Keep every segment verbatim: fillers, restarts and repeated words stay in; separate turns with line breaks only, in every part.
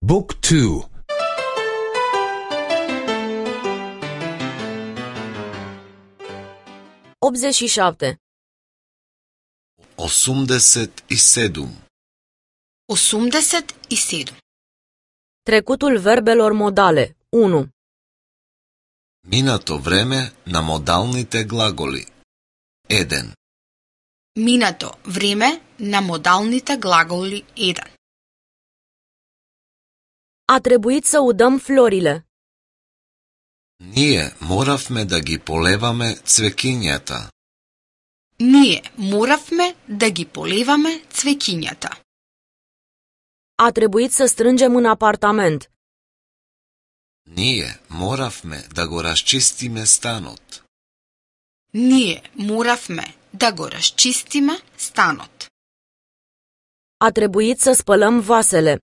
Book two.
optzeci și șapte.
осумдесет и седум.
осумдесет и седум.
Trecutul verbelor modale. unu.
Минато време на модалните глаголи. еден.
Минато време на модалните глаголи еден.
A trebuit să udăm florile.
Ние моравме да ги полеваме цвекињата.
Ние моравме да ги полеваме цвеќињата.
A trebuit să strângem în apartament.
Ние моравме да го расчистиме станот.
Ние моравме да го расчистиме станот.
A trebuit să spălăm vasele.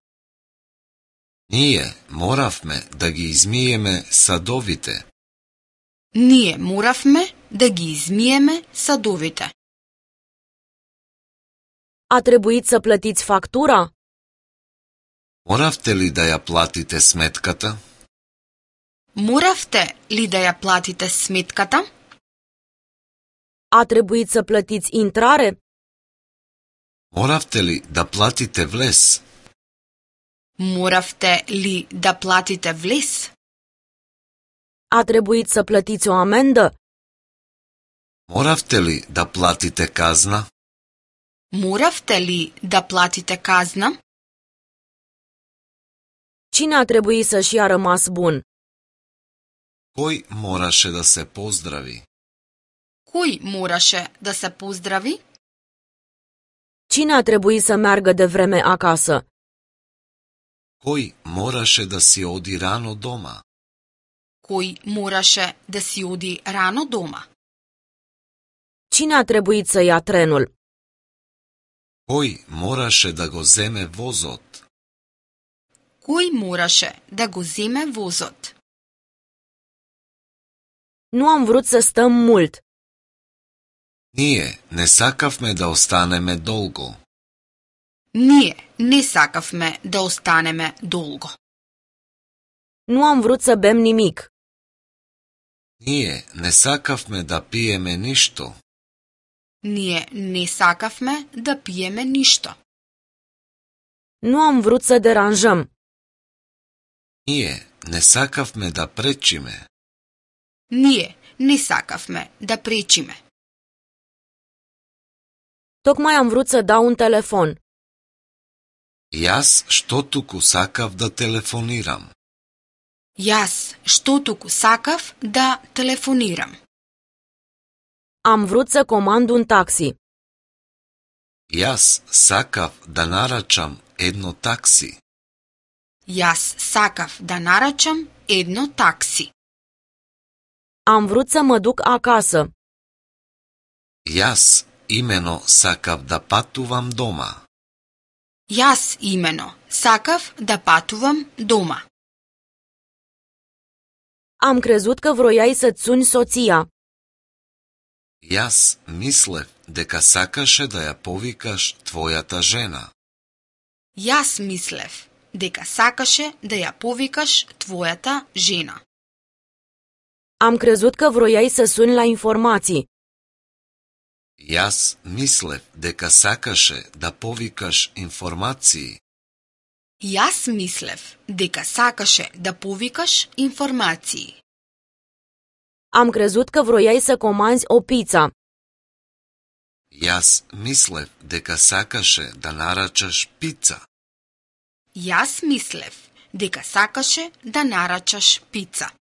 Ние моравме да ги измиеме садовите.
Ние моравме да ги измиеме садовите.
A trebuit să plătiți factura?
Моравте ли да ја платите сметката?
Моравте ли да ја платите сметката?
A trebuit să plătiți intrare?
Моравте ли да платите влез?
Моравте ли да платите влез?
A trebuit să plătiți o amendă?
Моравте ли да платите казна?
Моравте ли да платите казна?
Cine a trebuit să-și ia rămas bun?
Кој мораше да се поздрави?
Кој мораше да се поздрави?
Cine a trebuit să meargă de vreme acasă?
Кој мораше да си оди рано дома?
Кој мораше да си оди рано дома?
Cine a trebuit să ia trenul?
Кој мораше да го земе возот?
Кој мораше да го земе возот?
Nu am vrut să stăm mult.
Ние не сакавме да останеме долго.
Ние не сакавме да останеме долго.
Nu am vrut să bem nimic.
Ние не сакавме да пиеме ништо.
Ние не сакавме да пиеме ништо.
Nu am vrut să deranjăm.
Ние не сакавме да пречиме.
Ние не сакавме да пречиме.
Tocmai am vrut să dau un telefon.
Јас што туку сакав да телефонирам.
Јас што туку сакав да телефонирам.
Am vrut să comand un taxi.
Јас сакав да нарачам едно такси.
Јас сакав да нарачам едно такси.
Am vrut să mă duc acasă.
Јас имено сакав да патувам дома.
Јас имено сакав да патувам дома.
Am crezut că vroiai să-ți suni soția.
Јас мислев дека сакаше да ја повикаш твојата жена.
Јас мислев дека сакаше да ја повикаш твојата жена.
Am crezut că vroiai să suni la informații.
Јас мислев дека сакаше да повикаш информации.
Јас мислев дека сакаше да повикаш информации.
Am crezut că vroiai să comanzi o pizza.
Јас мислев дека сакаше да нарачаш пица.
Јас мислев дека сакаше да нарачаш пица.